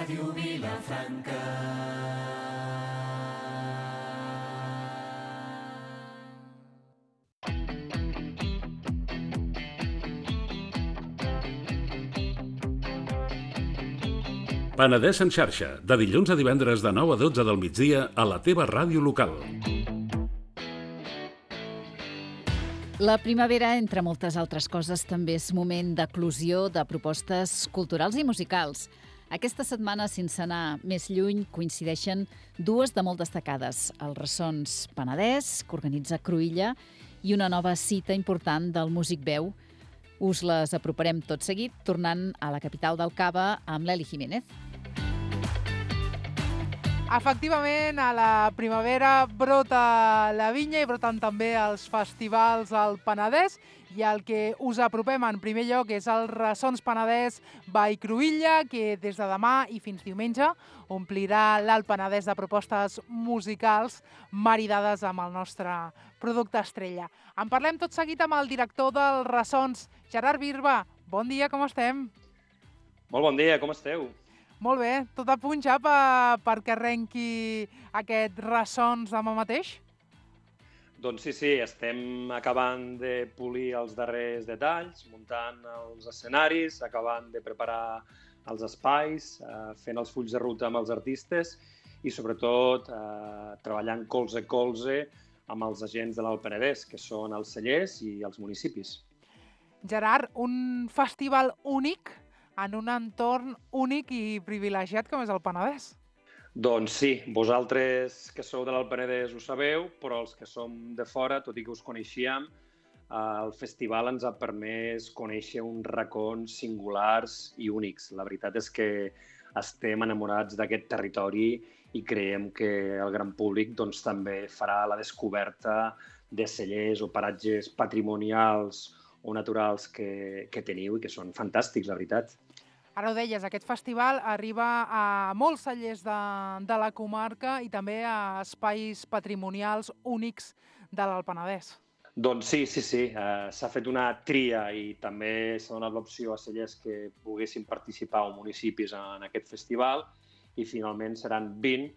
Ràdio Vilafranca. Penedès en xarxa, de dilluns a divendres de 9 a 12 del migdia a la teva ràdio local. La primavera, entre moltes altres coses, també és moment d'eclosió de propostes culturals i musicals. Aquesta setmana, sense anar més lluny, coincideixen dues de molt destacades. Els Ressons Penedès, que organitza Cruïlla, i una nova cita important del Músic Veu. Us les aproparem tot seguit, tornant a la capital del Cava amb l'Eli Jiménez. Efectivament, a la primavera brota la vinya i broten també els festivals al Penedès, i el que us apropem en primer lloc és el Ressons Penedès by Cruïlla, que des de demà i fins diumenge omplirà l'Alt Penedès de propostes musicals maridades amb el nostre producte estrella. En parlem tot seguit amb el director del Ressons, Gerard Birba. Bon dia, com estem? Molt bon dia, com esteu? Molt bé, tot a punt ja perquè arrenqui aquest Ressons demà mateix? Doncs sí, estem acabant de polir els darrers detalls, muntant els escenaris, acabant de preparar els espais, fent els fulls de ruta amb els artistes i sobretot treballant colze a colze amb els agents de l'Alt Penedès, que són els cellers i els municipis. Gerard, un festival únic en un entorn únic i privilegiat com és el Penedès. Doncs sí, vosaltres que sou de l'Alt Penedès ho sabeu, però els que som de fora, tot i que us coneixíem, el festival ens ha permès conèixer uns racons singulars i únics. La veritat és que estem enamorats d'aquest territori i creiem que el gran públic doncs, també farà la descoberta de cellers o paratges patrimonials o naturals que teniu i que són fantàstics, la veritat. Ara ho deies, aquest festival arriba a molts cellers de la comarca i també a espais patrimonials únics de l'Alt Penedès. Doncs sí. S'ha fet una tria i també s'ha donat l'opció a cellers que poguessin participar o municipis en aquest festival i finalment seran 20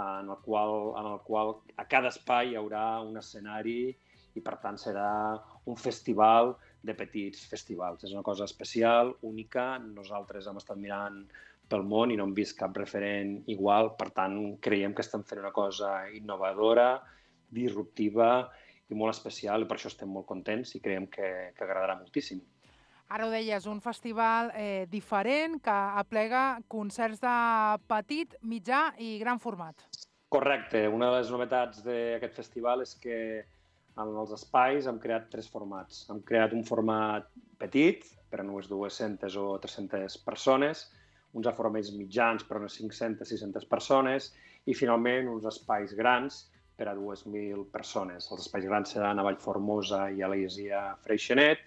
en el qual a cada espai hi haurà un escenari i per tant serà un festival de petits festivals. És una cosa especial, única. Nosaltres hem estat mirant pel món i no hem vist cap referent igual. Per tant, creiem que estem fent una cosa innovadora, disruptiva i molt especial i per això estem molt contents i creiem que agradarà moltíssim. Ara ho deies, un festival diferent que aplega concerts de petit, mitjà i gran format. Correcte. Una de les novetats d'aquest festival és que en els espais hem creat 3 formats. Hem creat un format petit, per a unes 200 o 300 persones, uns aforaments mitjans per a unes 500-600 persones i, finalment, uns espais grans per a 2.000 persones. Els espais grans seran a Vallformosa i a l'Isia Freixenet,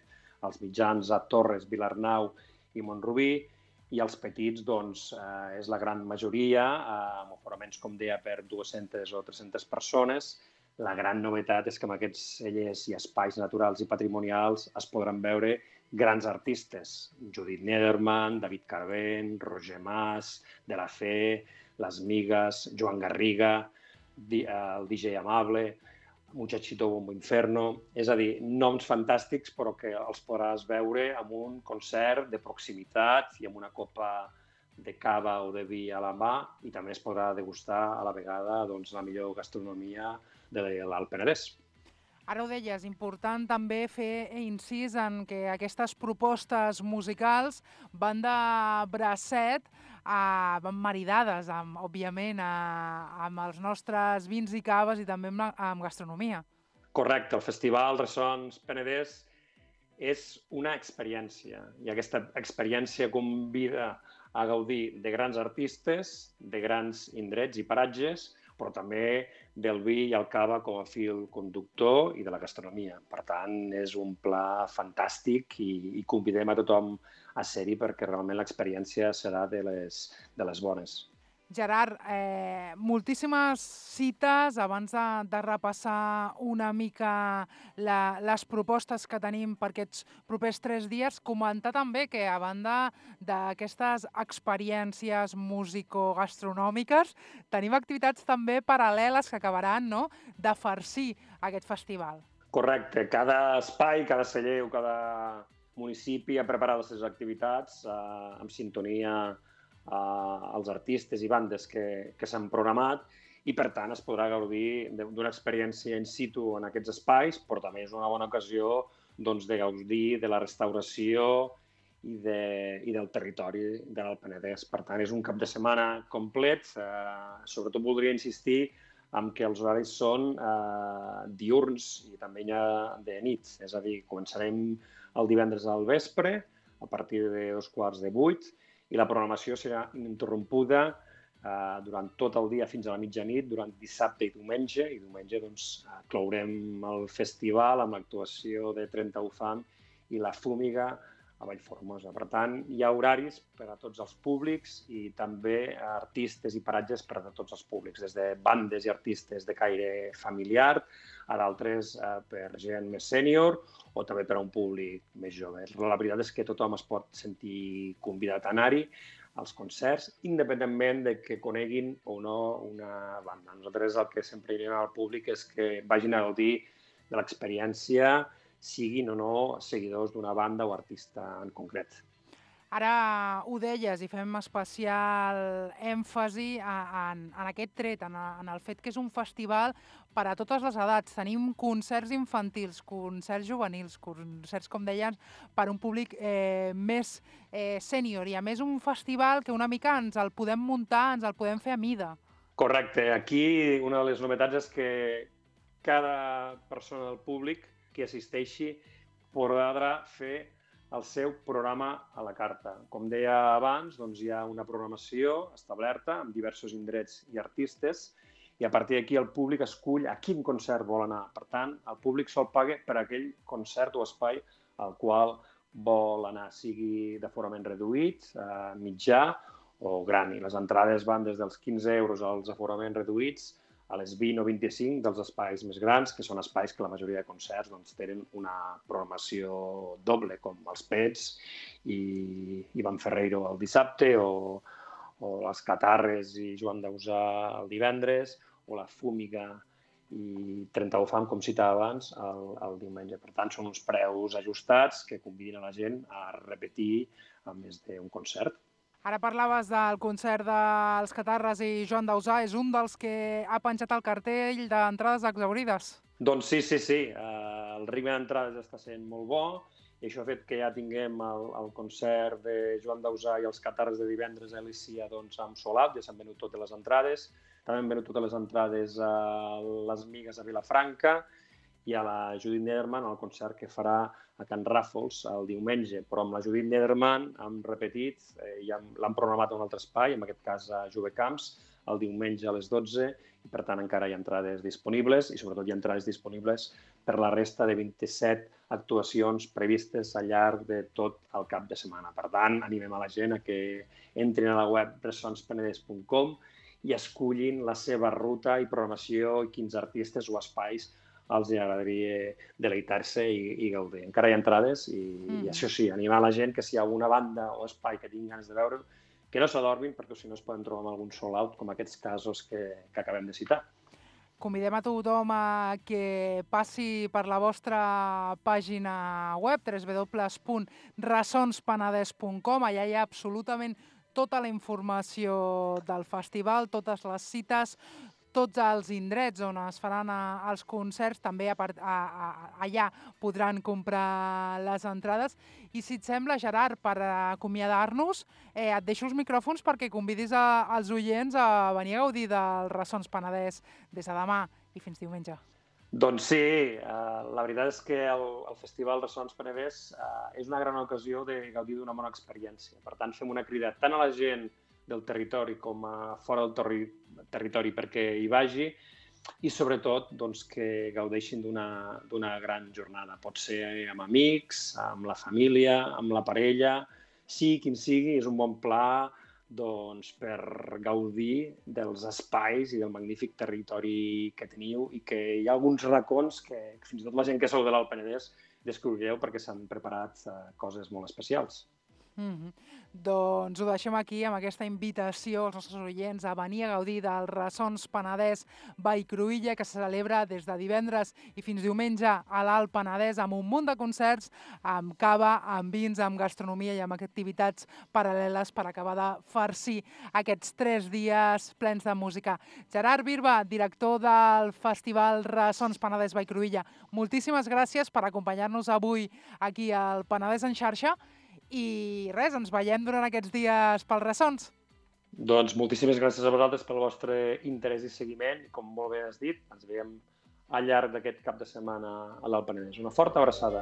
els mitjans a Torres, Vilarnau i Montrubí, i els petits, doncs, és la gran majoria, amb aforaments, com deia, per 200 o 300 persones. La gran novetat és que amb aquests cellers i espais naturals i patrimonials es podran veure grans artistes. Judit Nederman, David Carvent, Roger Mas, De La Fe, Les Migues, Joan Garriga, el DJ Amable, Muchachito Bombo Inferno. És a dir, noms fantàstics però que els podràs veure amb un concert de proximitat i amb una copa de cava o de vi a la mà i també es podrà degustar a la vegada doncs, la millor gastronomia de l'Alt Penedès. Ara ho deies, important també fer incís en que aquestes propostes musicals van de bracet, van maridades, òbviament, amb els nostres vins i caves i també amb gastronomia. Correcte, el Festival Ressons Penedès és una experiència i aquesta experiència convida a gaudir de grans artistes, de grans indrets i paratges, però també del vi i el cava com a fil conductor i de la gastronomia. Per tant, és un pla fantàstic i convidem a tothom a ser-hi perquè realment l'experiència serà de les bones. Gerard, moltíssimes cites abans de repassar una mica les propostes que tenim per aquests propers 3 dies. Comentar també que, a banda d'aquestes experiències músico-gastronòmiques, tenim activitats també paral·leles que acabaran, no?, de farcir aquest festival. Correcte. Cada espai, cada celler o cada municipi ha preparat les seves activitats en sintonia als artistes i bandes que s'han programat i, per tant, es podrà gaudir d'una experiència in situ en aquests espais, però també és una bona ocasió doncs, de gaudir de la restauració i del territori de l'Alt Penedès. Per tant, és un cap de setmana complet. Sobretot voldria insistir en que els horaris són diürns i també hi ha de nit. És a dir, començarem el divendres al vespre, a partir de 7:15, i la programació serà ininterrompuda durant tot el dia fins a la mitjanit, durant dissabte i diumenge. I diumenge clourem el festival amb l'actuació de 30 UFAM i la Fúmiga a Vallformosa. Per tant, hi ha horaris per a tots els públics i també artistes i paratges per a tots els públics, des de bandes i artistes de caire familiar a d'altres per gent més sènior o també per a un públic més jove. La veritat és que tothom es pot sentir convidat a anar-hi als concerts, independentment de que coneguin o no una banda. Nosaltres el que sempre direm al públic és que vagin a gaudir de l'experiència, siguin o no seguidors d'una banda o artista en concret. Ara ho deies i fem especial èmfasi en aquest tret, en el fet que és un festival per a totes les edats. Tenim concerts infantils, concerts juvenils, concerts, com deien, per a un públic més sènior i, a més, un festival que una mica ens el podem muntar, ens el podem fer a mida. Correcte. Aquí una de les novetats és que cada persona del públic que assisteixi podrà fer el seu programa a la carta. Com deia abans, doncs hi ha una programació establerta amb diversos indrets i artistes i a partir d'aquí el públic escull a quin concert vol anar. Per tant, el públic sol paga per aquell concert o espai al qual vol anar, sigui d'aforament reduït, mitjà o gran. I les entrades van des dels 15 euros als aforaments reduïts a les 20 o 25 dels espais més grans, que són espais que la majoria de concerts tenen una programació doble, com els Pets i Ivan Ferreiro el dissabte, o les Catarres i Joan Dausà el divendres, o la Fúmiga i 30 UFAM, com citava abans, el diumenge. Per tant, són uns preus ajustats que convidin a la gent a repetir a més d'un concert. Ara parlaves del concert dels Catarres i Joan Dausà. És un dels que ha penjat el cartell d'entrades exaurides. Doncs sí. El ritme d'entrades està sent molt bo i això ha fet que ja tinguem el concert de Joan Dausà i els Catarres de divendres a Lícia amb sold out. Ja s'han venut totes les entrades. També han venut totes les entrades a les Migues a Vilafranca i a la Judit Nederman, el concert que farà a Can Ràfols el diumenge. Però amb la Judit Nederman hem repetit, l'han programat a un altre espai, en aquest cas a Jovecamps, el diumenge a les 12, i per tant encara hi ha entrades disponibles i sobretot hi ha entrades disponibles per la resta de 27 actuacions previstes al llarg de tot el cap de setmana. Per tant, animem a la gent a que entrin a la web ressonspenedès.com i escullin la seva ruta i programació i quins artistes o espais els agradaria deleitar-se i gaudir. Encara hi ha entrades i això sí, animar la gent que si hi ha alguna banda o espai que tinguin ganes de veure, que no s'adormin perquè si no es poden trobar amb algun sold out com aquests casos que acabem de citar. Convidem a tothom a que passi per la vostra pàgina web www.ressonspenedès.com. Allà hi ha absolutament tota la informació del festival, totes les cites, tots els indrets on es faran els concerts, també allà podran comprar les entrades. I si et sembla, Gerard, per acomiadar-nos, et deixo els micròfons perquè convidis els oients a venir a gaudir del Ressons Penedès des de demà i fins diumenge. Doncs sí, la veritat és que el Festival Ressons Penedès és una gran ocasió de gaudir d'una bona experiència. Per tant, fem una crida tant a la gent del territori com a fora del territori perquè hi vagi i sobretot que gaudeixin d'una gran jornada. Pot ser amb amics, amb la família, amb la parella, sigui quin sigui, és un bon pla per gaudir dels espais i del magnífic territori que teniu i que hi ha alguns racons que fins i tot la gent que sou de l'Alt Penedès descobrireu perquè s'han preparat coses molt especials. Doncs ho deixem aquí amb aquesta invitació als nostres oients a venir a gaudir del Ressons Penedès Vallcruïlla, que se celebra des de divendres i fins diumenge a l'Alt Penedès amb un munt de concerts, amb cava, amb vins, amb gastronomia i amb activitats paral·leles per acabar de farcir aquests 3 dies plens de música. Gerard Birba, director del Festival Ressons Penedès Vallcruïlla, moltíssimes gràcies per acompanyar-nos avui aquí al Penedès en xarxa. I res, ens veiem durant aquests dies pels Ressons. Doncs moltíssimes gràcies a vosaltres pel vostre interès i seguiment. I com molt bé has dit, ens veiem al llarg d'aquest cap de setmana a l'Alt Penedès. Una forta abraçada.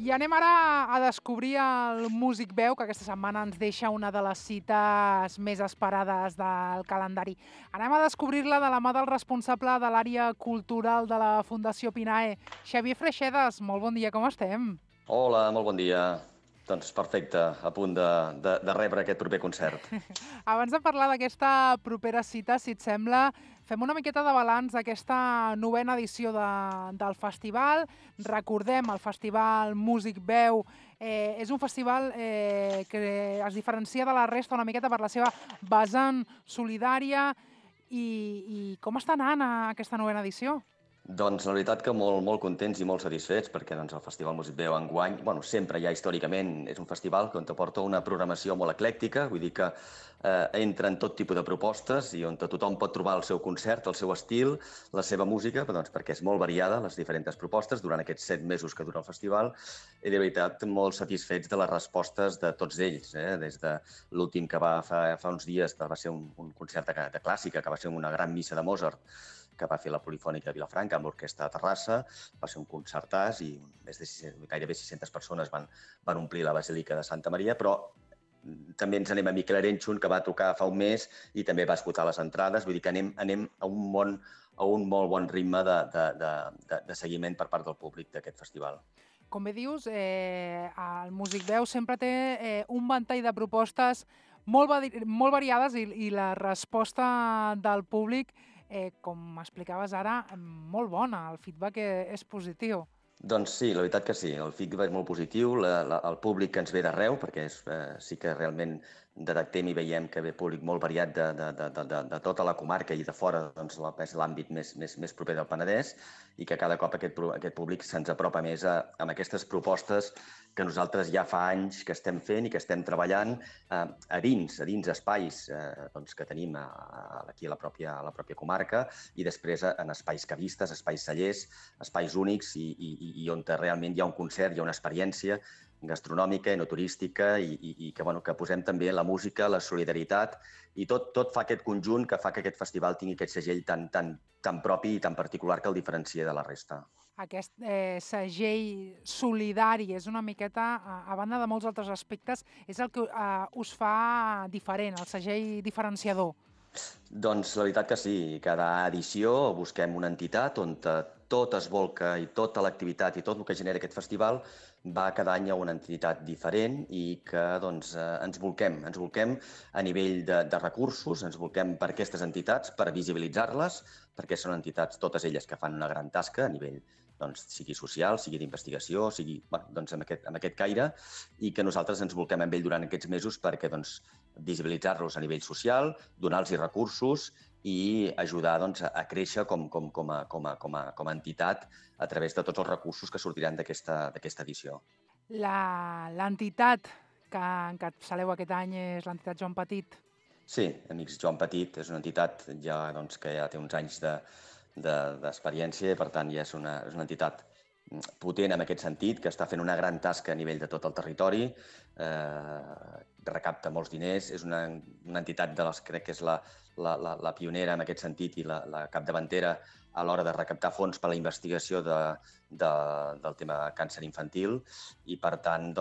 I anem ara a descobrir el Músic Veu, que aquesta setmana ens deixa una de les cites més esperades del calendari. Anem a descobrir-la de la mà del responsable de l'àrea cultural de la Fundació Pinae, Xavier Freixedes. Molt bon dia, com estem? Hola, molt bon dia. Doncs perfecte, a punt de rebre aquest proper concert. Abans de parlar d'aquesta propera cita, si et sembla, fem una miqueta de balanç d'aquesta 9ª edició del festival. Recordem, el Festival Músic Veu és un festival que es diferencia de la resta una miqueta per la seva vessant solidària. I com està anant aquesta 9ª edició? Doncs la veritat que molt contents i molt satisfets perquè el Festival Músic Veu enguany, sempre ja històricament és un festival que on porta una programació molt eclèctica, vull dir que entra en tot tipus de propostes i on tothom pot trobar el seu concert, el seu estil, la seva música, perquè és molt variada les diferents propostes durant aquests 7 mesos que dura el festival i de veritat molt satisfets de les respostes de tots ells, des de l'últim que va fa uns dies, que va ser un concert de clàssica, que va ser una gran missa de Mozart, que va fer la Polifònica de Vilafranca amb l'Orquestra de Terrassa. Va ser un concertàs i gairebé 600 persones van omplir la Basílica de Santa Maria, però també ens anem a Miquel Arenxun, que va tocar fa un mes i també va esgotar les entrades. Vull dir que anem a un molt bon ritme de seguiment per part del públic d'aquest festival. Com bé dius, el Músic Veu sempre té un ventall de propostes molt variades i la resposta del públic, com explicaves ara, molt bona. El feedback és positiu. Doncs sí, la veritat que sí. El feedback és molt positiu. El públic que ens ve d'arreu, perquè sí que realment detectem i veiem que ve públic molt variat de tota la comarca i de fora, és l'àmbit més proper del Penedès, i que cada cop aquest públic se'ns apropa més amb aquestes propostes que nosaltres ja fa anys que estem fent i que estem treballant a dins espais que tenim aquí a la pròpia comarca i després en espais cavistes, espais cellers, espais únics i on realment hi ha un concert, hi ha una experiència gastronòmica i no turística i que posem també la música, la solidaritat i tot fa aquest conjunt que fa que aquest festival tingui aquest segell tan propi i tan particular que el diferencia de la resta. Aquest segell solidari és una miqueta, a banda de molts altres aspectes, és el que us fa diferent, el segell diferenciador. Doncs la veritat que sí. Cada edició busquem una entitat on tot es volca i tota l'activitat i tot el que genera aquest festival va cada any a una entitat diferent i que ens volquem a nivell de recursos, ens volquem per aquestes entitats, per visibilitzar-les, perquè són entitats, totes elles, que fan una gran tasca a nivell sigui social, sigui d'investigació, sigui amb aquest caire, i que nosaltres ens volquem amb ell durant aquests mesos perquè visibilitzar-los a nivell social, donar-los recursos i ajudar a créixer com a entitat a través de tots els recursos que sortiran d'aquesta edició. L'entitat que encapçaleu aquest any és l'entitat Joan Petit. Sí, Amics Joan Petit és una entitat que ja té uns anys d'experiència i, per tant, ja és una entitat potent en aquest sentit, que està fent una gran tasca a nivell de tot el territori, recapta molts diners, és una entitat de les que crec que és la pionera en aquest sentit i la capdavantera a l'hora de recaptar fons per a la investigació del tema càncer infantil i, per tant,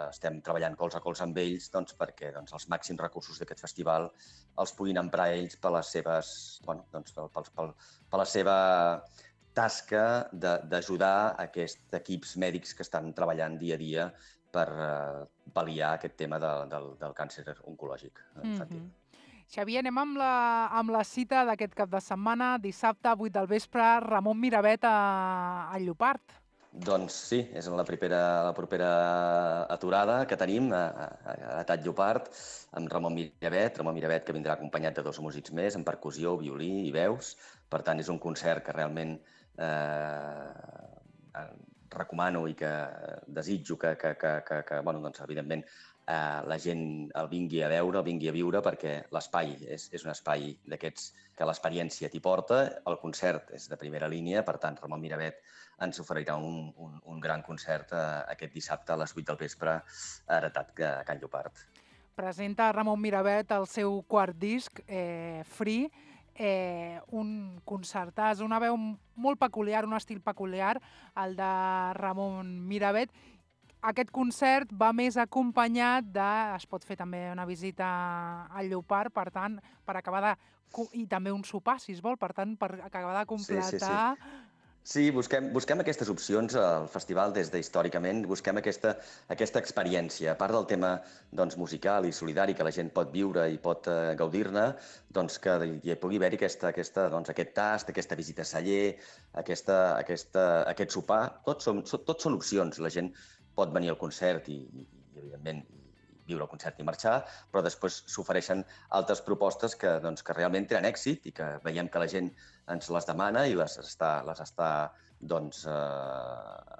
estem treballant colze a colze amb ells perquè els màxims recursos d'aquest festival els puguin emprar ells per la seva tasca d'ajudar aquests equips mèdics que estan treballant dia a dia per pal·liar aquest tema del càncer oncològic infantil. Xavier, anem amb la cita d'aquest cap de setmana, dissabte, 8 del vespre, Ramon Miravet a Llopart. Doncs sí, és la propera aturada que tenim a Tat Llopart, amb Ramon Miravet, que vindrà acompanyat de 2 músics més, en percussió, violí i veus. Per tant, és un concert que realment recomano i que desitjo que evidentment, la gent el vingui a veure, el vingui a viure, perquè l'espai és un espai d'aquests que l'experiència t'hi porta. El concert és de primera línia, per tant, Ramon Miravet ens oferirà un gran concert aquest dissabte a les 8 del vespre a Heretat, a Can Llopart. Presenta Ramon Miravet el seu quart disc, Free, un concertàs, una veu molt peculiar, un estil peculiar, el de Ramon Miravet. Aquest concert va més acompanyat es pot fer també una visita al Llopart, per tant, per acabar i també un sopar, si es vol, per tant, per acabar de completar... Sí, busquem aquestes opcions al festival des d'històricament, busquem aquesta experiència. A part del tema musical i solidari que la gent pot viure i pot gaudir-ne, que hi pugui haver-hi aquest tast, aquesta visita a celler, aquest sopar. Tots són opcions. La gent pot venir al concert i evidentment, viure el concert i marxar, però després s'ofereixen altres propostes que realment tenen èxit i que veiem que la gent ens les demana i les està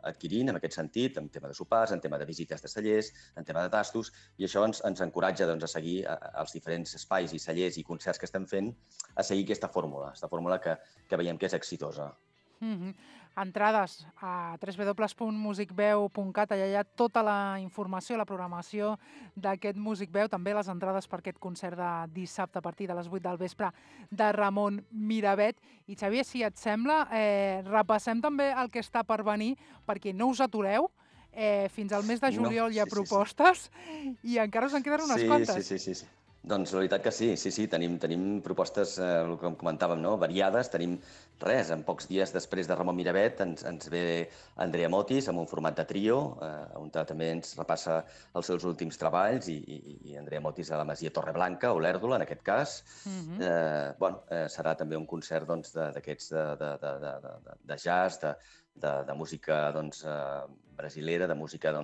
adquirint en aquest sentit, en tema de sopars, en tema de visites de cellers, en tema de tastos, i això ens encoratja a seguir els diferents espais i cellers i concerts que estem fent, a seguir aquesta fórmula que veiem que és exitosa. Entrades a www.musicveu.cat, allà hi ha tota la informació, la programació d'aquest Musicveu, també les entrades per aquest concert de dissabte a partir de les 8 del vespre de Ramon Miravet. I Xavier, si et sembla, repassem també el que està per venir, perquè no us atureu, fins al mes de juliol hi ha propostes i encara us en queden unes quantes. Sí. Doncs la veritat que sí. Tenim propostes, el que comentàvem, variades. Tenim en pocs dies després de Ramon Miravet ens ve Andrea Motis amb un format de trio, on també ens repassa els seus últims treballs, i Andrea Motis a la Masia Torreblanca, o l'Èrdola, en aquest cas. Serà també un concert d'aquests de jazz, de música brasilera, de música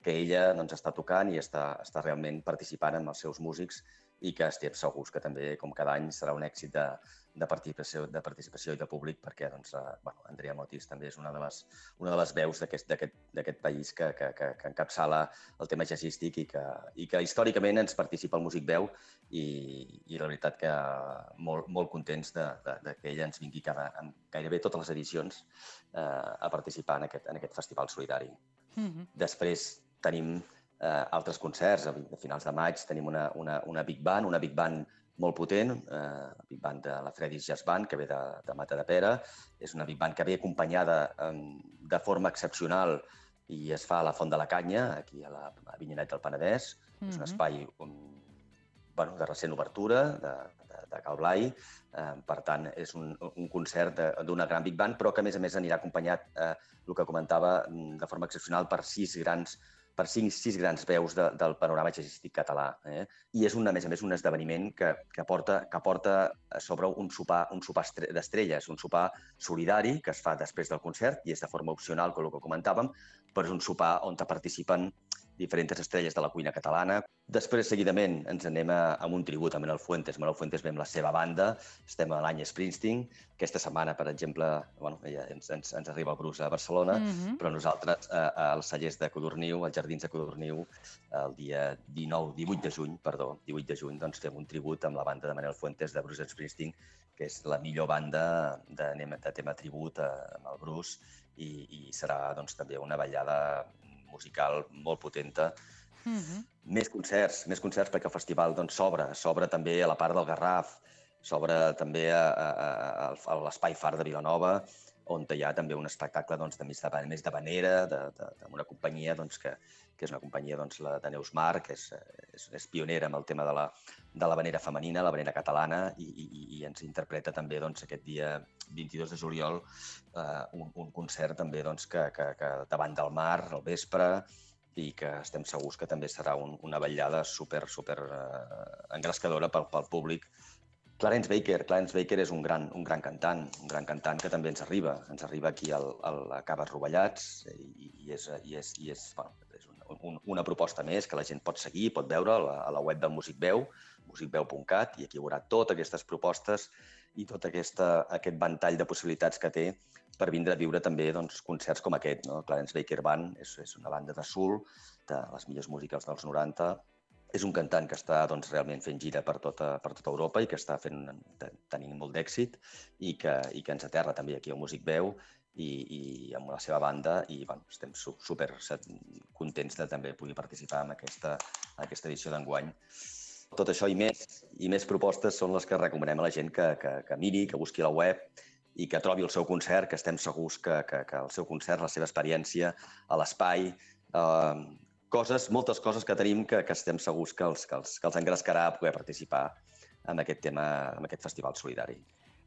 que ella està tocant i està realment participant amb els seus músics, i que estem segurs que també, com cada any, serà un èxit de participació i de públic, perquè Andrea Motis també és una de les veus d'aquest país que encapçala el tema jazzístic i que històricament ens participa el Musicveu, i la veritat que molt contents que ella ens vingui en gairebé totes les edicions a participar en aquest festival solidari. Després tenim altres concerts. A finals de maig tenim una Big Band molt potent, la Big Band de la Freddy's Jazz Band, que ve de Matadepera. És una Big Band que ve acompanyada de forma excepcional i es fa a la Font de la Canya, aquí a Avinyonet del Penedès. És un espai de recent obertura, de Cal Blai. Per tant, és un concert d'una gran Big Band, però que, a més anirà acompanyat, el que comentava, de forma excepcional per 6 grans veus del panorama jazzístic català. I és, a més, un esdeveniment que porta a sobre un sopar d'estrelles, un sopar solidari que es fa després del concert i és de forma opcional, com el que comentàvem, però és un sopar on participen diferents estrelles de la cuina catalana. Després, seguidament, ens anem amb un tribut a Manuel Fuentes. Manuel Fuentes ve amb la seva banda, estem a l'any Springsteen. Aquesta setmana, per exemple, ens arriba el Bruce a Barcelona, però nosaltres, als cellers de Codorniu, als jardins de Codorniu, el dia 18 de juny, fem un tribut amb la banda de Manuel Fuentes de Bruce Springsteen, que és la millor banda de tema tribut amb el Bruce, i serà també una ballada musical molt potenta. Més concerts, perquè el festival s'obre també a la part del Garraf, s'obre també a l'Espai Far de Vilanova, on hi ha també un espectacle més de vanera, d'una companyia que és una companyia de Neus Mar, que és pionera amb el tema de la vanera femenina, la vanera catalana, i ens interpreta també aquest dia 22 de juliol un concert també que davant del mar, al vespre, i que estem segurs que també serà una vetllada super engrescadora pel públic. Clarence Baker és un gran cantant que també ens arriba aquí a Caves Rovellats, i és una proposta més que la gent pot seguir, pot veure a la web del Musicveu, musicveu.cat, i aquí hi haurà totes aquestes propostes i tot aquest ventall de possibilitats que té per vindre a viure també concerts com aquest. Clarence Baker Band és una banda de soul, de les millors músiques dels 90. És un cantant que està realment fent gira per tota Europa i que està tenint molt d'èxit i que ens aterra també aquí al Musicveu i amb la seva banda, i estem super contents de també poder participar en aquesta edició d'enguany. Tot això i més propostes són les que recomanem a la gent que miri, que busqui a la web i que trobi el seu concert, que estem segurs que el seu concert, la seva experiència a l'espai, moltes coses que tenim que estem segurs que els engrescarà a poder participar en aquest festival solidari.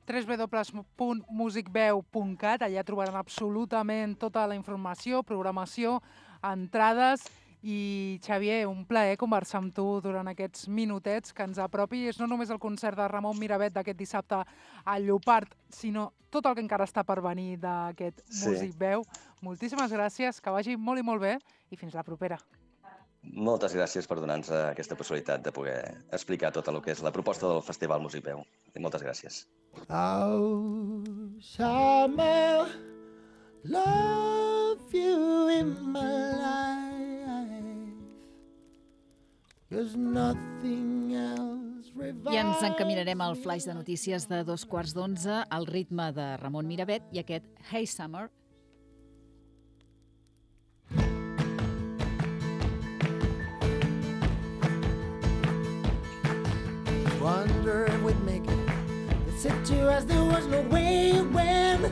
www.musicveu.cat, allà trobaran absolutament tota la informació, programació, entrades. I, Xavier, un plaer conversar amb tu durant aquests minutets que ens apropi. És no només el concert de Ramon Miravet d'aquest dissabte al Llopart, sinó tot el que encara està per venir d'aquest Musicveu. Moltíssimes gràcies, que vagi molt i molt bé i fins la propera. Moltes gràcies per donar-nos aquesta possibilitat de poder explicar tot el que és la proposta del Festival Musicveu. Moltes gràcies. Oh, summer, love you in my life. There's nothing else revives. I ens encaminarem al flaix de notícies de 11:15 al ritme de Ramon Miravet i aquest Hey Summer. Wonder if we'd make it. They said to us there was no way when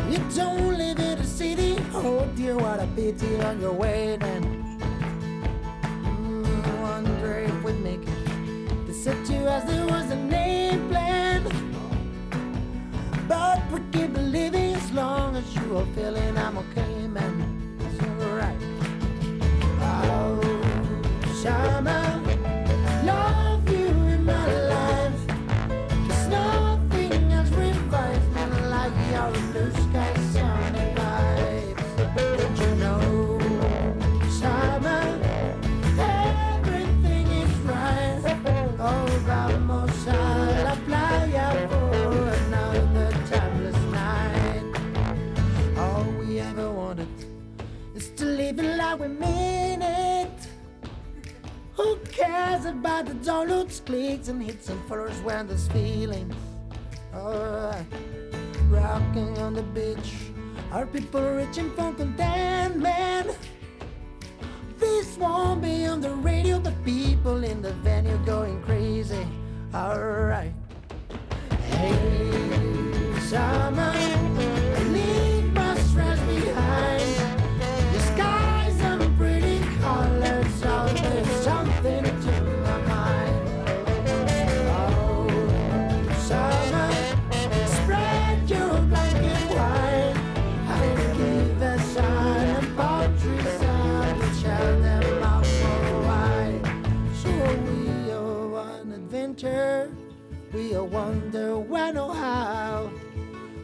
you don't live in a city. Oh dear, what a pity on your way then. Wonder if we'd make it. They said to us there was a name plan, but we keep believing as long as you are feeling I'm okay, man. It's alright. Oh, summer. We mean it. Who cares about the downloads, clicks, and hits and followers when there's feelings? Alright, rocking on the beach, are people reaching for contentment? This won't be on the radio, but people in the venue going crazy. Alright, hey, summer, leave my stress behind. There's something to my mind. Oh, summer, spread your blanket wide. I can give the sun and poetry sun and share them out for a while. So we are on adventure, we are wonder when or how.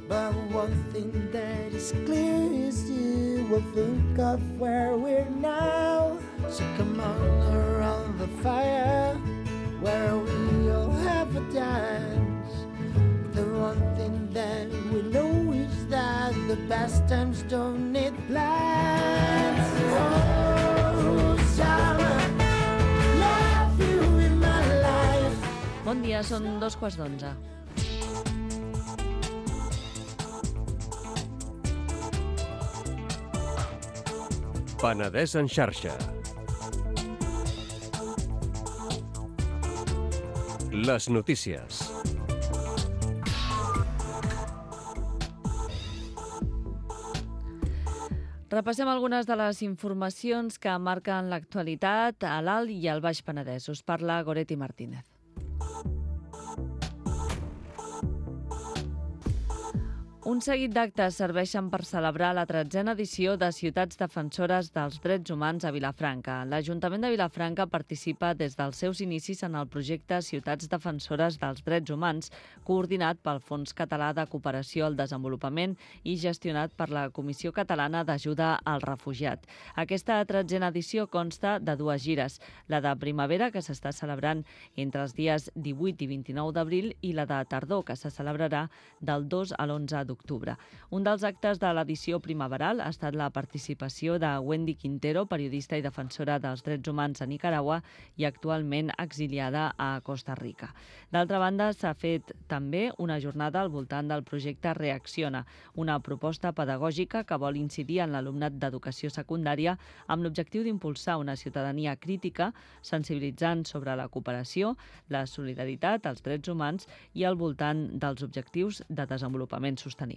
But one thing that is clear is you will think of where we're now. So come on around the fire where we all have a dance. The one thing that we know is that the best times don't need plans. Oh, summer, love you in my life. Bon dia, són 11:15. Penedès en xarxa. Les notícies. Repassem algunes de les informacions que marquen l'actualitat a l'Alt i al Baix Penedès. Us parla Goretti Martínez. Un seguit d'actes serveixen per celebrar la 13a edició de Ciutats Defensores dels Drets Humans a Vilafranca. L'Ajuntament de Vilafranca participa des dels seus inicis en el projecte Ciutats Defensores dels Drets Humans, coordinat pel Fons Català de Cooperació al Desenvolupament i gestionat per la Comissió Catalana d'Ajuda al Refugiat. Aquesta 13a edició consta de 2 gires, la de primavera, que s'està celebrant entre els dies 18 i 29 d'abril, i la de tardor, que se celebrarà del 2 a l'11 d'octubre. Un dels actes de l'edició primaveral ha estat la participació de Wendy Quintero, periodista i defensora dels drets humans a Nicaragua i actualment exiliada a Costa Rica. D'altra banda, s'ha fet també una jornada al voltant del projecte Reacciona, una proposta pedagògica que vol incidir en l'alumnat d'educació secundària amb l'objectiu d'impulsar una ciutadania crítica, sensibilitzant sobre la cooperació, la solidaritat, els drets humans i al voltant dels objectius de desenvolupament sostenible.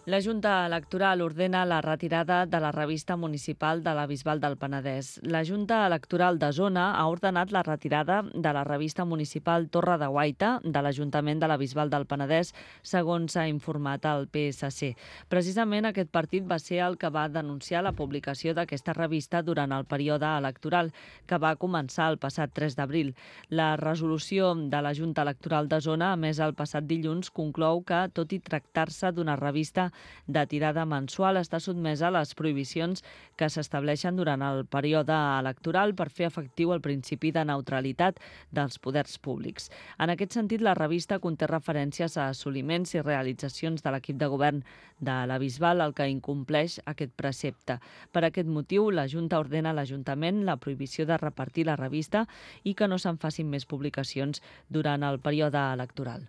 La Junta Electoral ordena la retirada de la revista municipal de la Bisbal del Penedès. La Junta Electoral de Zona ha ordenat la retirada de la revista municipal Torre de Guaita de l'Ajuntament de la Bisbal del Penedès, segons s'ha informat al PSC. Precisament aquest partit va ser el que va denunciar la publicació d'aquesta revista durant el període electoral, que va començar el passat 3 d'abril. La resolució de la Junta Electoral de Zona, emesa el passat dilluns, conclou que, tot i tractar-se d'una revista de tirada mensual, està sotmesa a les prohibicions que s'estableixen durant el període electoral per fer efectiu el principi de neutralitat dels poders públics. En aquest sentit, la revista conté referències a assoliments i realitzacions de l'equip de govern de la Bisbal, el que incompleix aquest precepte. Per aquest motiu, la Junta ordena a l'Ajuntament la prohibició de repartir la revista i que no se'n facin més publicacions durant el període electoral.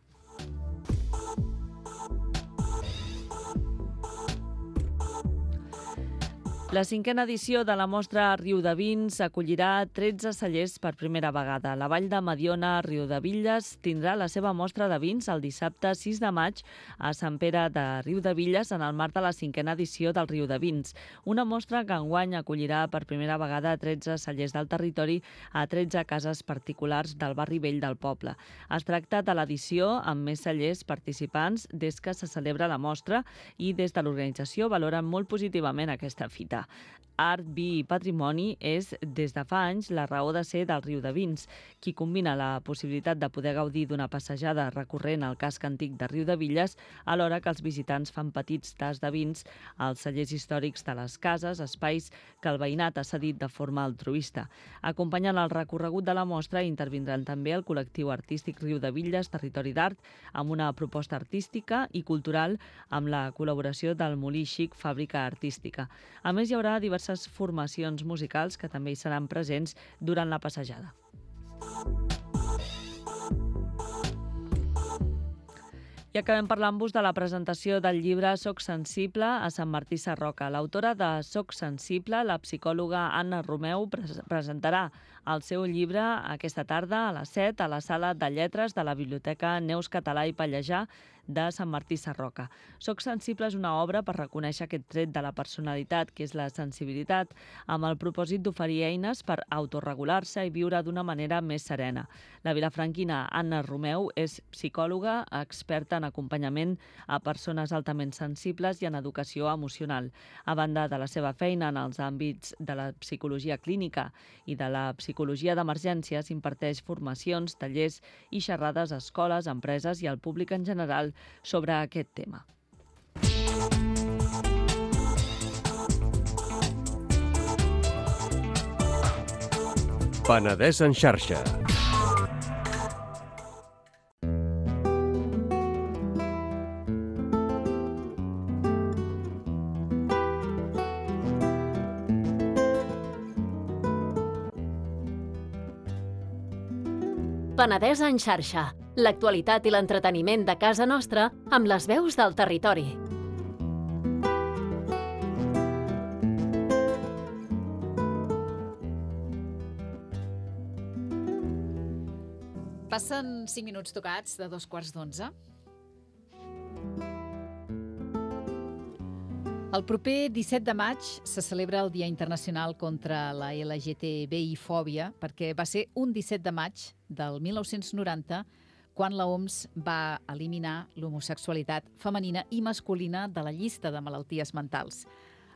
La 5a edició de la mostra Riudavins acollirà 13 cellers per primera vegada. La Vall de Mediona, Riudevilles, tindrà la seva mostra de vins el dissabte 6 de maig a Sant Pere de Riudevilles en el marc de la 5a edició del Riudavins. Una mostra que enguany acollirà per primera vegada 13 cellers del territori a 13 cases particulars del barri vell del poble. Es tracta de l'edició amb més cellers participants des que se celebra la mostra i des de l'organització valoren molt positivament aquesta fita. Art, vi i patrimoni és, des de fa anys, la raó de ser del Riudavins, qui combina la possibilitat de poder gaudir d'una passejada recorrent al casc antic de Riudevilles, alhora que els visitants fan petits tasts de vins als cellers històrics de les cases, espais que el veïnat ha cedit de forma altruista. Acompanyant el recorregut de la mostra intervindran també el col·lectiu artístic Riudevilles Territori d'Art, amb una proposta artística i cultural amb la col·laboració del Molí Xic Fàbrica Artística. A més, hi haurà diverses formacions musicals que també hi seran presents durant la passejada. I acabem parlant-vos de la presentació del llibre Soc sensible a Sant Martí Sarroca. L'autora de Soc sensible, la psicòloga Anna Romeu, presentarà el seu llibre aquesta tarda a les 7 a la Sala de Lletres de la Biblioteca Neus Català i Pallejà de Sant Martí Sarroca. Soc sensible és una obra per reconèixer aquest tret de la personalitat, que és la sensibilitat, amb el propòsit d'oferir eines per autorregular-se i viure d'una manera més serena. La vilafranquina Anna Romeu és psicòloga, experta en acompanyament a persones altament sensibles i en educació emocional. A banda de la seva feina en els àmbits de la psicologia clínica i de la psicologia d'emergències, imparteix formacions, tallers i xerrades a escoles, empreses i al públic en general sobre aquest tema. Penedès en xarxa. Penedès en xarxa. L'actualitat i l'entreteniment de casa nostra amb les veus del territori. Passen 5 minuts tocats de 2:15. El proper 17 de maig se celebra el Dia Internacional contra la LGTBI-fòbia perquè va ser un 17 de maig del 1990 quan l'OMS va eliminar l'homosexualitat femenina i masculina de la llista de malalties mentals.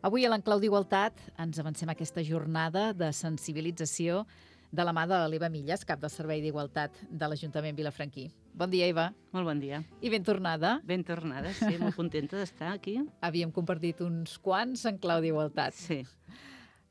Avui a l'Enclau d'Igualtat ens avancem a aquesta jornada de sensibilització de la mà de l'Eva Millas, cap del Servei d'Igualtat de l'Ajuntament vilafranquí. Bon dia, Eva. Molt bon dia. I ben tornada. Ben tornada, sí, molt contenta d'estar aquí. Havíem compartit uns quants en clau d'igualtat. Sí.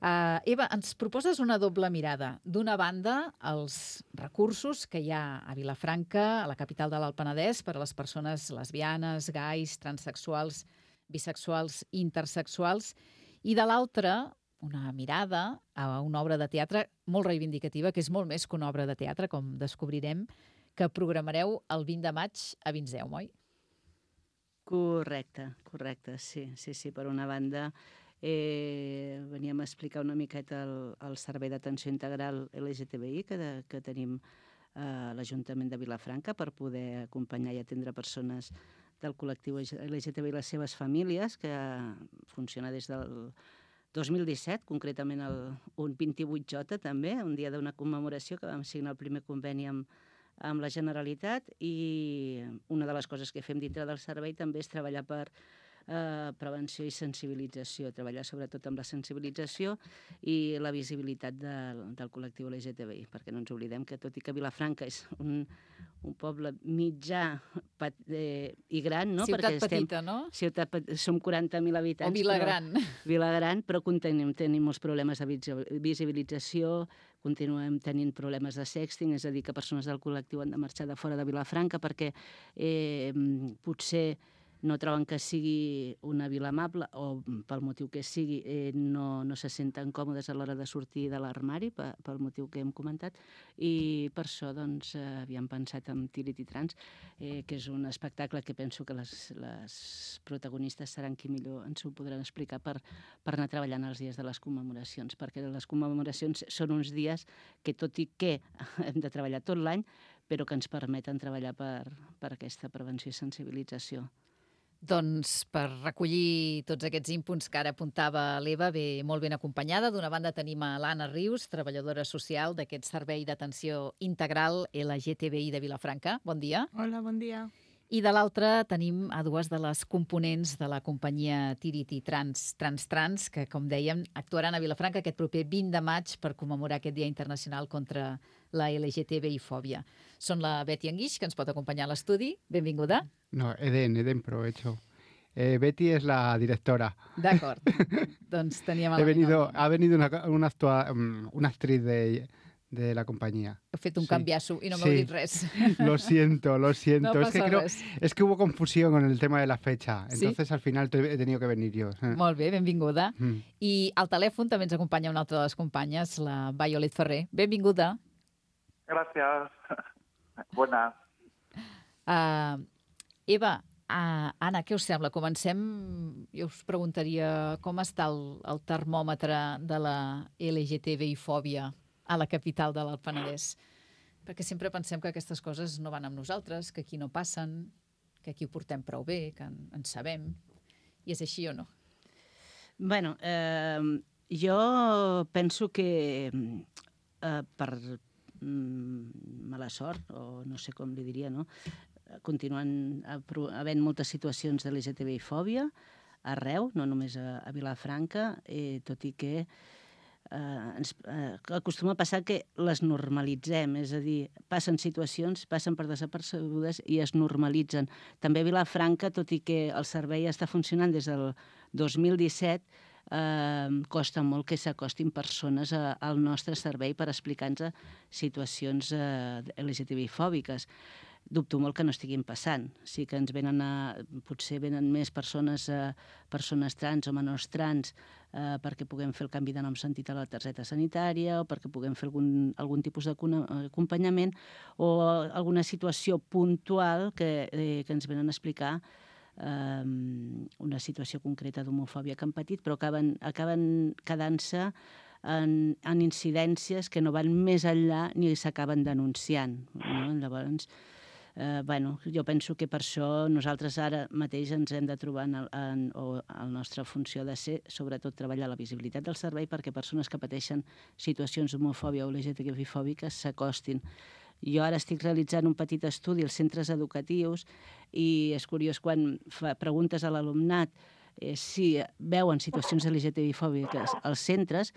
Eva, ens proposes una doble mirada. D'una banda, els recursos que hi ha a Vilafranca, a la capital de l'Alt Penedès, per a les persones lesbianes, gais, transsexuals, bisexuals, intersexuals, i de l'altra, una mirada a una obra de teatre molt reivindicativa, que és molt més que una obra de teatre, com descobrirem, que programareu el 20 de maig a Vinzeu, oi? Correcte, sí. Per una banda, veníem a explicar una miqueta el servei d'atenció integral LGTBI que tenim a l'Ajuntament de Vilafranca per poder acompanyar i atendre persones del col·lectiu LGTBI i les seves famílies, que funciona des del 2017, concretament un 28J també, un dia d'una commemoració que vam signar el primer conveni amb la Generalitat, i una de les coses que fem dintre del servei també és treballar per prevenció i sensibilització, treballar sobretot amb la sensibilització i la visibilitat del col·lectiu LGTBI, perquè no ens oblidem que tot i que Vilafranca és un poble mitjà i gran, no? Ciutat petita, no? Som 40.000 habitants. O Vilagran. Vilagran, però tenim molts problemes de visibilització, continuem tenint problemes de sexting, és a dir, que persones del col·lectiu han de marxar de fora de Vilafranca perquè potser no troben que sigui una vila amable o pel motiu que sigui no se senten còmodes a l'hora de sortir de l'armari, pel motiu que hem comentat, i per això doncs, havíem pensat en Tiriti Trans, que és un espectacle que penso que les protagonistes seran qui millor ens ho podran explicar per anar treballant els dies de les commemoracions, perquè les commemoracions són uns dies que, tot i que hem de treballar tot l'any, però que ens permeten treballar per aquesta prevenció i sensibilització. Doncs per recollir tots aquests inputs que ara apuntava l'Eva, ve molt ben acompanyada. D'una banda tenim a l'Anna Rius, treballadora social d'aquest Servei d'Atenció Integral LGTBI de Vilafranca. Bon dia. Hola, bon dia. I de l'altra tenim a dues de les components de la companyia Tiriti Trans, que, com dèiem, actuaran a Vilafranca aquest proper 20 de maig per commemorar aquest Dia Internacional contra la LGTBI-fòbia. Són la Betty Anguix, que ens pot acompanyar a l'estudi. Benvinguda. No, Eden provecho. Betty es la directora. D'acord. Doncs teníem... Ha venido una actriz de la compañía. He fet un canviasso i no m'heu dit res. Lo siento. No passa res. Es que hubo confusión con el tema de la fecha. Entonces al final he tenido que venir yo. Molt bé, benvinguda. I al telèfon també ens acompanya una altra de les companyes, la Violet Ferrer. Benvinguda. Gracias. Buenas. Eva, Anna, què us sembla? Comencem, jo us preguntaria com està el termòmetre de la LGTBI-fòbia a la capital de l'Alt Penedès. Perquè sempre pensem que aquestes coses no van amb nosaltres, que aquí no passen, que aquí ho portem prou bé, que en sabem. I és així o no? Bueno, jo penso que per mala sort, o no sé com li diria, no? Continuen havent moltes situacions de LGTBI-fòbia arreu, no només a Vilafranca, tot i que acostuma a passar que les normalitzem, és a dir, passen situacions, passen per desapercebudes i es normalitzen. També a Vilafranca, tot i que el servei està funcionant des del 2017, costa molt que s'acostin persones al nostre servei per explicar-nos situacions LGTBI-fòbiques. Dubto molt que no estiguin passant. Sí que ens potser venen més persones trans o menors trans perquè puguem fer el canvi de nom sentit a la targeta sanitària o perquè puguem fer algun tipus d'acompanyament o alguna situació puntual que ens venen a explicar una situació concreta d'homofòbia que han patit, però acaben quedant-se en incidències que no van més enllà ni s'acaben denunciant. Llavors, Jo penso que per això nosaltres ara mateix ens hem de trobar o la nostra funció de ser, sobretot, treballar la visibilitat del servei perquè persones que pateixen situacions d'homofòbia o LGTBI-fòbiques s'acostin. Jo ara estic realitzant un petit estudi als centres educatius i és curiós quan preguntes a l'alumnat si veuen situacions LGTBI-fòbiques als centres,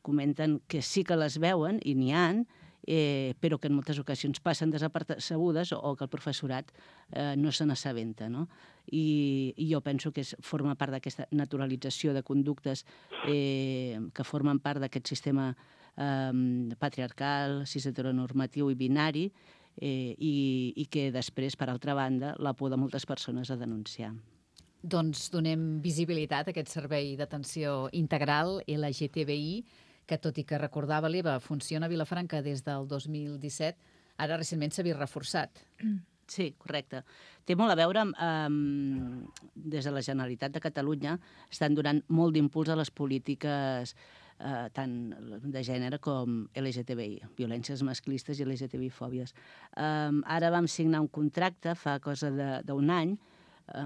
comenten que sí que les veuen i n'hi ha, però que en moltes ocasions passen desapercebudes o que el professorat no se n'assabenta, no? I jo penso que forma part d'aquesta naturalització de conductes que formen part d'aquest sistema patriarcal, cis-heteronormatiu i binari i que després, per altra banda, la por de moltes persones a denunciar. Doncs donem visibilitat a aquest servei d'atenció integral LGTBI, que tot i que recordava l'Eva, funciona a Vilafranca des del 2017, ara recentment s'ha vist reforçat. Sí, correcte. Té molt a veure amb... Des de la Generalitat de Catalunya estan donant molt d'impuls a les polítiques tant de gènere com LGTBI, violències masclistes i LGTBI-fòbies. Ara vam signar un contracte fa cosa d'un any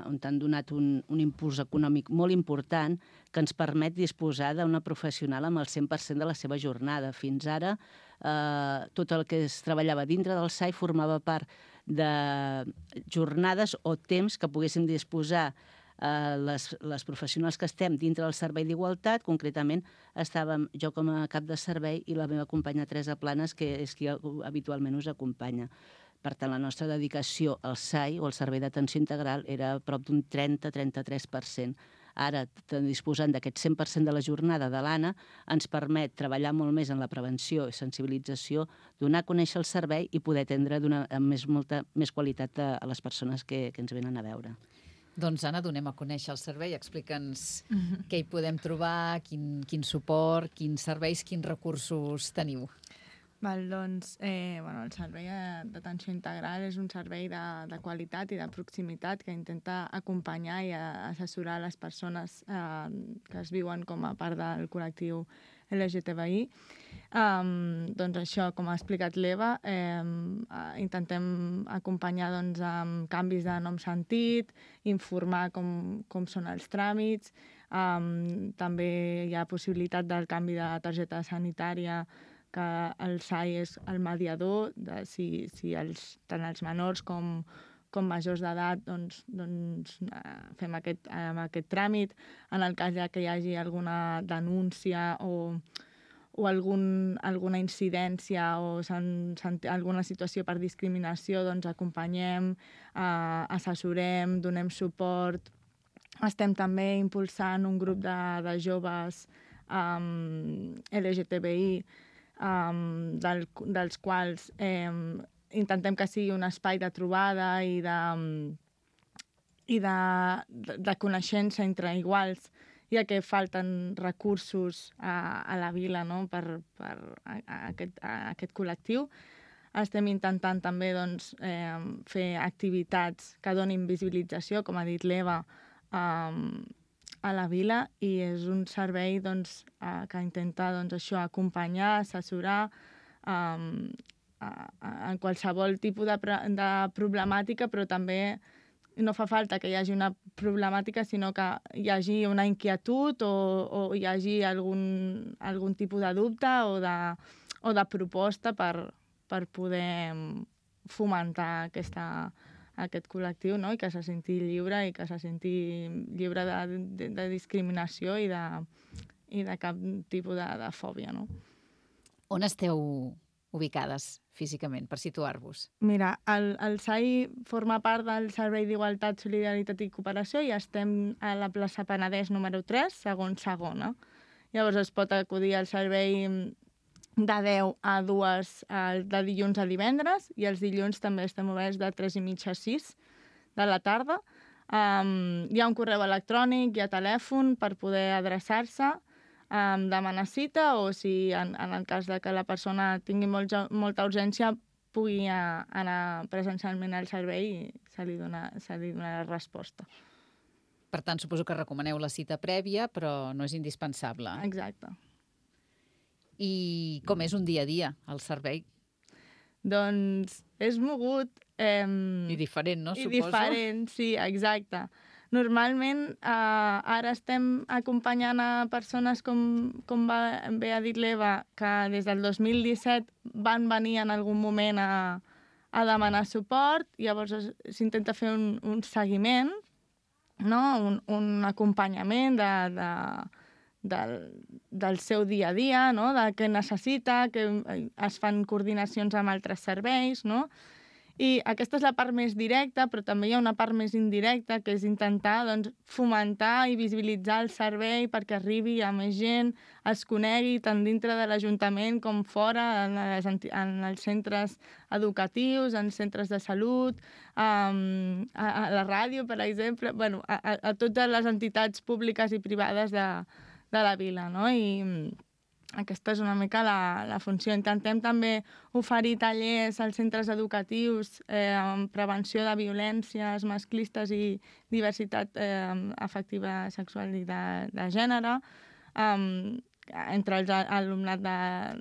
on han donat un impuls econòmic molt important que ens permet disposar d'una professional amb el 100% de la seva jornada. Fins ara, tot el que es treballava dintre del SAI formava part de jornades o temps que poguéssim disposar les professionals que estem dintre del servei d'igualtat. Concretament, estàvem jo com a cap de servei i la meva companya Teresa Planes, que és qui habitualment us acompanya. Per tant, la nostra dedicació al SAI, o al Servei d'Atenció Integral, era a prop d'un 30-33%. Ara, disposant d'aquest 100% de la jornada de l'Anna, ens permet treballar molt més en la prevenció i sensibilització, donar a conèixer el servei i poder atendre amb molta més qualitat a les persones que ens venen a veure. Doncs, Anna, donem a conèixer el servei. Explica'ns què hi podem trobar, quin suport, quins serveis, quins recursos teniu. Doncs, el servei d'atenció integral és un servei de qualitat i de proximitat que intenta acompanyar i assessorar les persones que es viuen com a part del col·lectiu LGTBI. Doncs això, com ha explicat l'Eva, intentem acompanyar amb canvis de nom sentit, informar com són els tràmits, també hi ha possibilitat del canvi de targeta sanitària, que el SAI és el mediador, si tant els menors com majors d'edat fem aquest tràmit. En el cas que hi hagi alguna denúncia o alguna incidència o alguna situació per discriminació, doncs acompanyem, assessorem, donem suport. Estem també impulsant un grup de joves LGTBI dels quals intentem que sigui un espai de trobada i de coneixença entre iguals, ja que falten recursos a la vila per aquest col·lectiu. Estem intentant també fer activitats que donin visibilització, com ha dit l'Eva, a la vila, i és un servei que intenta acompanyar, assessorar en qualsevol tipus de problemàtica, però també no fa falta que hi hagi una problemàtica, sinó que hi hagi una inquietud o hi hagi algun tipus de dubte o de proposta per poder fomentar aquest col·lectiu, no? I que se senti lliure i que se senti lliure de discriminació i de cap tipus de fòbia, no? On esteu ubicades físicament, per situar-vos? Mira, el SAI forma part del Servei d'Igualtat, Solidaritat i Cooperació i estem a la plaça Penedès número 3, segona. Llavors es pot acudir al servei de 10 a 2 de dilluns a divendres, i els dilluns també estem oberts de 3:30 a 6 de la tarda. Hi ha un correu electrònic, hi ha telèfon per poder adreçar-se, demanar cita, o si en el cas de que la persona tingui molta urgència pugui anar presencialment al servei i se li donarà resposta. Per tant, suposo que recomaneu la cita prèvia, però no és indispensable. Exacte. I com és un dia a dia, el servei? Doncs és mogut. I diferent, no? I Suposo. diferent, sí, exacte. Normalment ara estem acompanyant a persones com bé ha dit l'Eva, que des del 2017 van venir en algun moment a demanar suport, llavors s'intenta fer un seguiment, no? un acompanyament del seu dia a dia, no? De què necessita, que es fan coordinacions amb altres serveis, no? I aquesta és la part més directa, però també hi ha una part més indirecta, que és intentar doncs, fomentar i visibilitzar el servei perquè arribi a més gent, es conegui tant dintre de l'Ajuntament com fora, en els centres educatius, en centres de salut, a la ràdio, per exemple, bueno, a totes les entitats públiques i privades de la vila, no? I aquesta és una mica la funció. Intentem també oferir tallers als centres educatius amb prevenció de violències masclistes i diversitat afectiva sexual i de gènere entre l'alumnat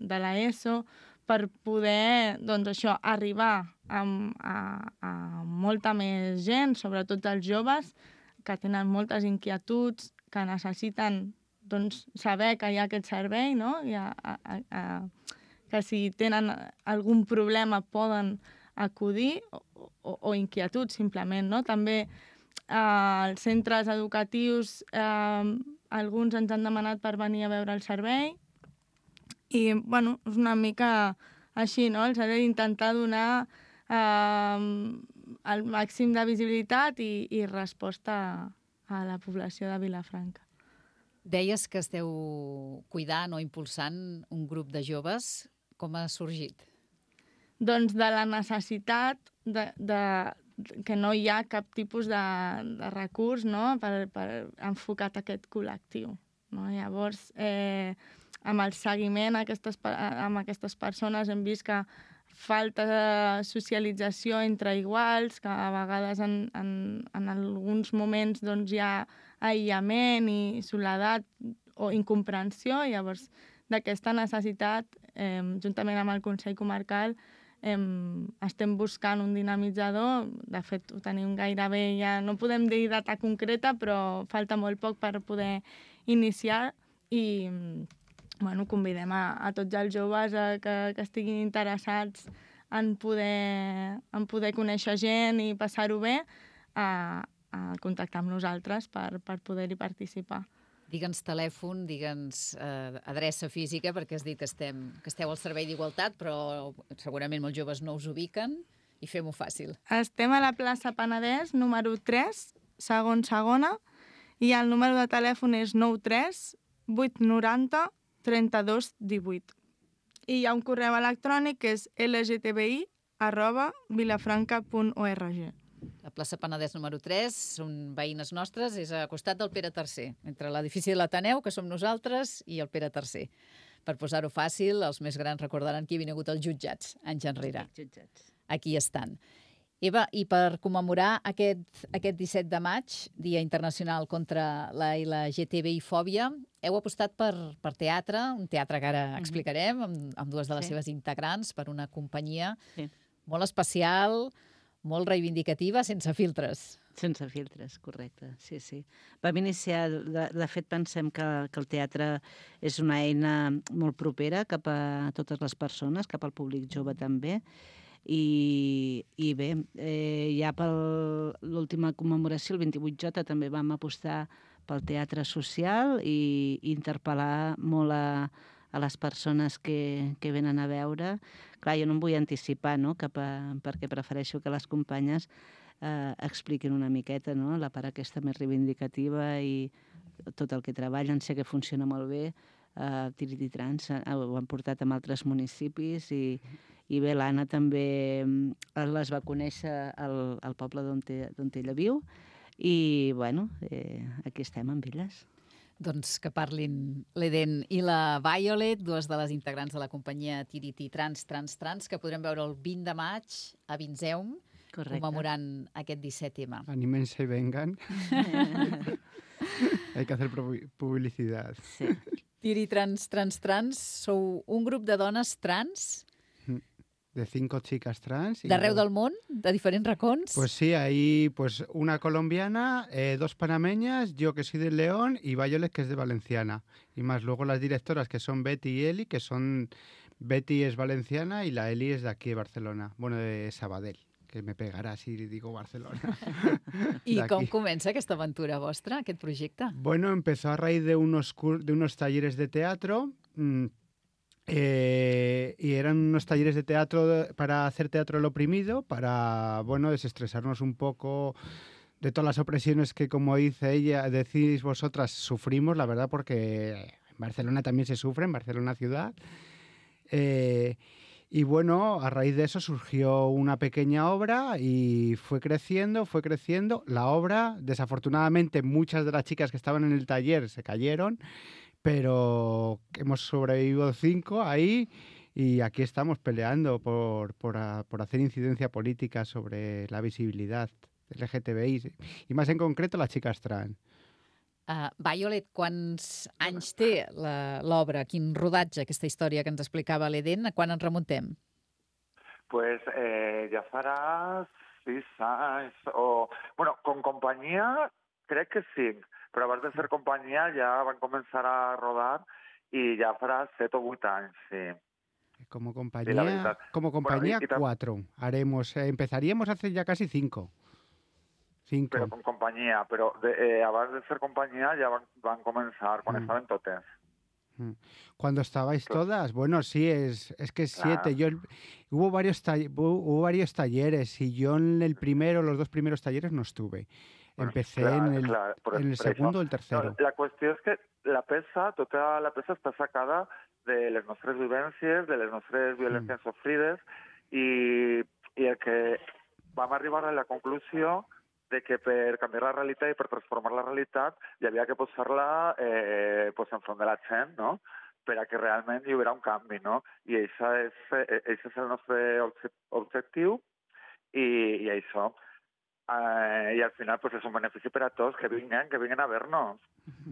de l'ESO per poder, doncs això, arribar a molta més gent, sobretot els joves, que tenen moltes inquietuds, que necessiten doncs, saber que hi ha aquest servei, no? Que si tenen algun problema poden acudir, o inquietuds, simplement, no? També als centres educatius alguns ens han demanat per venir a veure el servei i, bueno, és una mica així, no? El servei intentar donar el màxim de visibilitat i resposta a la població de Vilafranca. Deies que esteu cuidant o impulsant un grup de joves. Com ha sorgit? Doncs de la necessitat que no hi ha cap tipus de recurs, no? per enfocat a aquest col·lectiu. No? Llavors, amb el seguiment amb aquestes persones hem vist que falta socialització entre iguals, que a vegades en alguns moments doncs, hi ha aïllament i soledat o incomprensió. Llavors, d'aquesta necessitat, juntament amb el Consell Comarcal, estem buscant un dinamitzador. De fet, ho tenim gairebé, ja no podem dir data concreta, però falta molt poc per poder iniciar i bueno, convidem a tots els joves que estiguin interessats en poder conèixer gent i passar-ho bé, a contactar amb nosaltres per poder-hi participar. Digue'ns telèfon, digue'ns adreça física, perquè has dit que esteu al servei d'Igualtat, però segurament molts joves no us ubiquen, i fem-ho fàcil. Estem a la plaça Penedès, número 3, segona, i el número de telèfon és 93 890 32 18. I hi ha un correu electrònic que és lgtbi@vilafranca.org. La plaça Penedès número 3, són veïnes nostres, és a costat del Pere III, entre l'edifici de l'Ateneu, que som nosaltres, i el Pere III. Per posar-ho fàcil, els més grans recordaran que hi havia hagut els jutjats anys enrere. Aquí estan. Eva, i per commemorar aquest 17 de maig, Dia Internacional contra la LGTBI-fòbia, heu apostat per teatre, un teatre que ara explicarem, amb dues de les seves integrants, per una companyia molt especial, molt reivindicativa, sense filtres. Sense filtres, correcte, sí, sí. Vam iniciar, de fet pensem que el teatre és una eina molt propera cap a totes les persones, cap al públic jove també, i bé, ja per l'última commemoració, el 28J, també vam apostar pel teatre social i interpel·lar molt a les persones que venen a veure. Clar, jo no em vull anticipar, no?, perquè prefereixo que les companyes expliquin una miqueta, no?, la part aquesta més reivindicativa i tot el que treballen. Sé que funciona molt bé. Tiriti Trans ho han portat amb altres municipis i bé, l'Anna també les va conèixer al poble d'on ella viu i, bueno, aquí estem amb elles. Doncs que parlin l'Eden i la Violet, dues de les integrants de la companyia Tiriti Trans, que podrem veure el 20 de maig a Vinzeum, commemorant aquest 17M. Anímense y vengan. Hay que hacer publicidad. Tiri Trans, sou un grup de dones trans de 5 chicas trans. D'arreu del món? De diferents racons? Pues sí, hay pues una colombiana, 2 panameñas, yo que soy de León y Violet que es de Valenciana. Y más luego las directoras que son Betty y Eli, que son... Betty es valenciana y la Eli es de aquí de Barcelona, bueno, de Sabadell, que me pegarà si digo Barcelona. I com comença aquesta aventura vostra, aquest projecte? Bueno, empezó a raíz de unos talleres de teatro. Y eran unos talleres de teatro para hacer teatro del oprimido, para, bueno, desestresarnos un poco de todas las opresiones que, como dice ella, decís vosotras, sufrimos, la verdad, porque en Barcelona también se sufre, en Barcelona ciudad. Y bueno, a raíz de eso surgió una pequeña obra y fue creciendo. La obra, desafortunadamente, muchas de las chicas que estaban en el taller se cayeron, pero hemos sobrevivido 5 ahí y aquí estamos peleando por hacer incidencia política sobre la visibilidad LGTBI y más en concreto las chicas trans. Violet, quants anys té l'obra? Quin rodatge, aquesta història que ens explicava l'Eden? A quan ens remuntem? Pues ja farà 6 anys. Bueno, con companyia crec que 5, però abans de ser companyia ja van començar a rodar i ja farà 7 o 8 anys, sí. Como compañía, bueno, 4. Empezaríamos hace ya casi 5. Pero con compañía, pero abans de ser compañía ya van comenzar, quan estaven totes. Cuando estabais todas, bueno, sí, es que 7. Hubo varios talleres y yo en los 2 primeros talleres no estuve. Bueno, empecé en el segundo o el tercero. No, la qüestió és que tota la peça està sacada de les nostres vivències, de les nostres violències sofrides i el que vam arribar a la conclusió de que per canviar la realitat i per transformar la realitat hi havia que posar-la enfront de la gent, no? Per a que realment hi haurà un canvi, no? I això és el nostre objectiu i això. I al final pues, és un benefici per a tots, que vinguen a ver-nos.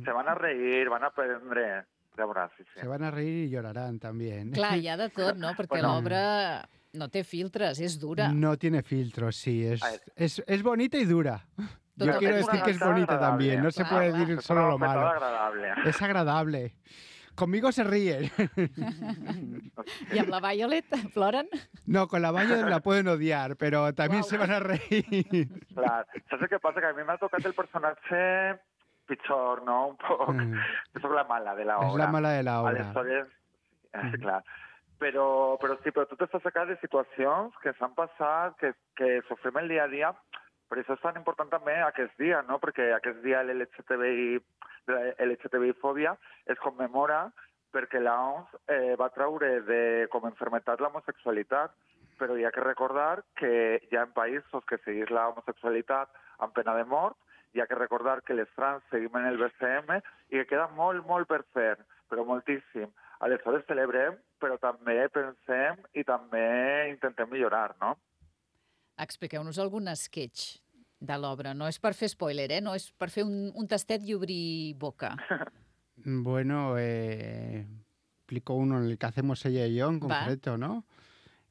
Se van a reír, van a aprendre. Ja veuràs, sí. Se van a reír i lloraran també. Clar, hi ha de tot, no? Perquè l'obra no té filtres, és dura. No tiene filtros, sí. Es bonita y dura. Yo quiero decir que es bonita también. No se puede decir solo lo malo. Es agradable. Conmigo se ríen. ¿Y amb la Violet ploren? No, con la Violet la pueden odiar, pero también se van a reír. Clar, saps què passa? Que a mi m'ha tocat el personatge pitjor, no? Un poc. Soc la mala de l'obra. És la mala de l'obra. Aleshores, clar. Però sí, però tot està sacat de situacions que s'han passat, que sofrim el dia a dia. Per això és tan important també aquest dia, no? Perquè aquest dia l'LGTBI-fòbia es commemora perquè l'OMS va treure com a enfermetat l'homosexualitat, però hi ha que recordar que hi ha països que seguís l'homosexualitat amb pena de mort, hi ha que recordar que les trans seguim en el BCM i que queda molt, molt per fer, però moltíssim. Aleshores celebrem, però també pensem i també intentem millorar, no? Expliqueu-nos algun sketch de l'obra. No és per fer spoiler, no és per fer un tastet i obrir boca. Bueno, explico uno en el que hacemos ella y yo en concreto, ¿no?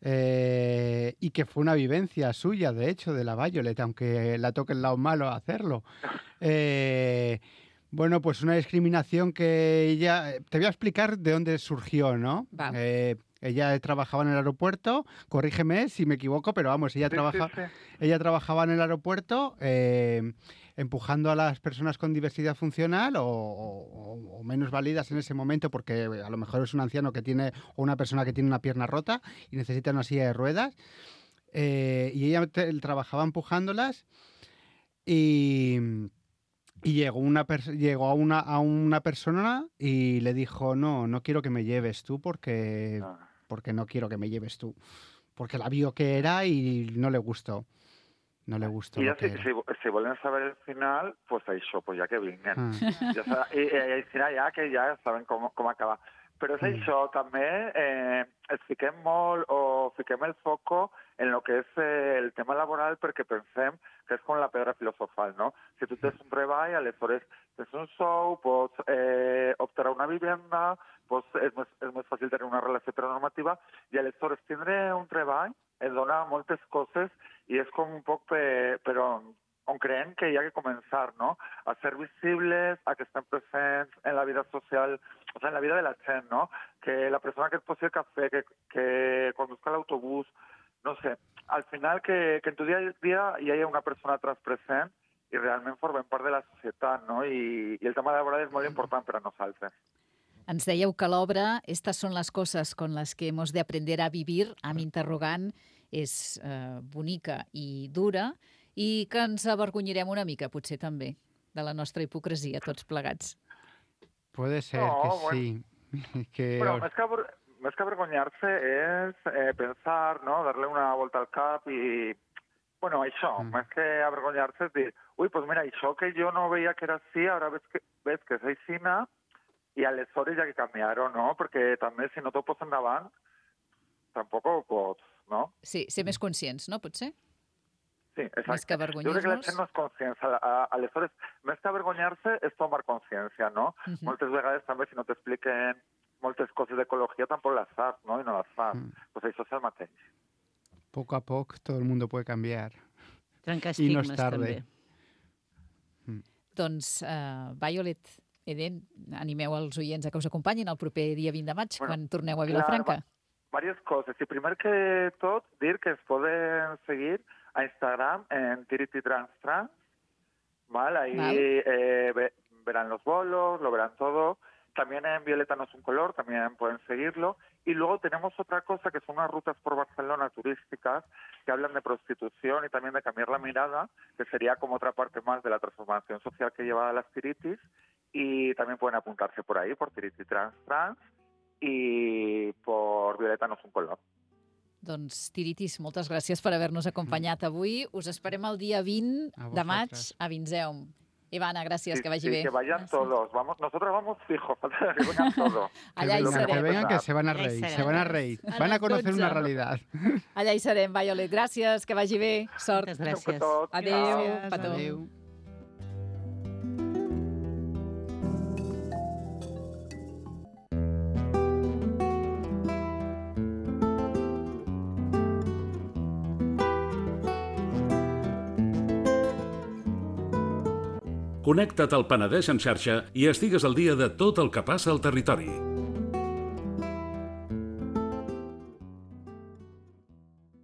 Y que fue una vivencia suya, de hecho, de la Violet, aunque la toque el lado malo a hacerlo. Bueno, pues una discriminación que ella... Te voy a explicar de dónde surgió, ¿no? Ella trabajaba en el aeropuerto, corrígeme si me equivoco, pero vamos, ella trabajaba en el aeropuerto empujando a las personas con diversidad funcional o menos válidas en ese momento, porque a lo mejor es un anciano que tiene o una persona que tiene una pierna rota y necesita una silla de ruedas. Y ella trabajaba empujándolas y llegó a una persona y le dijo, no quiero que me lleves tú porque no quiero que me lleves tú. Porque la vio que era y no le gustó. No le gustó. I ja, si volen saber el final, pues això, pues ja que vinguen. I al final ja ja saben com acabar. Però és això, també ens fiquem molt o fiquem el foco en el que és el tema laboral perquè pensem que és com la pedra filosofal, no? Si tu tens un treball, aleshores tens un sou, pots optar a una vivenda, és més fàcil tenir una relació heteronormativa i aleshores tindre un treball et dona moltes coses i és com un poc per on creiem que hi ha que començar, no? A ser visibles, a que estem presents en la vida social, o sigui, en la vida de la gent, no? Que la persona que et posi el cafè, que conduzca l'autobús, no sé, al final que en tu dia a dia hi hagi una persona trans present i realment formem part de la societat, no? I el tema laboral és molt important per a nosaltres. Ens dèieu que l'obra Estas son las cosas con las que hemos de aprender a vivir, amb interrogant, és bonica i dura, i que ens avergonyirem una mica, potser també, de la nostra hipocresia, tots plegats. Puede ser que sí. Bueno, més que avergonyar-se és pensar, no? Darle una volta al cap i... Bueno, això, més que avergonyar-se és dir, ui, pues mira, això que jo no veia que era així, ara ves que és aixina, i aleshores hi ha que canviar-ho, no? Perquè també, si no t'ho pots endavant, tampoc ho pots, no? Sí, ser més conscients, no? Potser? Sí, exacte. Més que avergonyir-nos. Jo crec que la gent no és consciència. Aleshores, més que avergonyar-se és tomar consciència, no? Moltes vegades també, si no t'expliquen moltes coses d'ecologia, tampoc les saps, no? I no les fas. Pues això és el mateix. Poco a poco todo el mundo puede cambiar. Trencar I no estigmes, és tarde. també. Doncs, Violet, Eden, animeu els oients a que us acompanyin el proper dia 20 de maig, quan torneu a Vilafranca. Diverses coses. I primer que tot, dir que es poden seguir a Instagram en TiritiTransTrans, ¿vale? Ahí verán los bolos, lo verán todo. También en Violeta no es un color, también pueden seguirlo. Y luego tenemos otra cosa que son unas rutas por Barcelona turísticas que hablan de prostitución y también de cambiar la mirada, que sería como otra parte más de la transformación social que lleva a las tiritis. Y también pueden apuntarse por ahí, por TiritiTransTrans y por Violeta no es un color. Doncs, Tiritis, moltes gràcies per haver-nos acompanyat avui. Us esperem el dia 20 de maig a Vinzeum. Ivana, gràcies, que vagi bé. Que vayan todos. Nosotros vamos fijos, que vengan todos. Allà hi serem. Que vengan, que se van a reír, Van a conocer una realidad. Allà hi serem, Violet. Gràcies, que vagi bé. Sort. Moltes gràcies. Adéu, petó. Adéu. Connecta't al Penedès en xarxa i estigues al dia de tot el que passa al territori.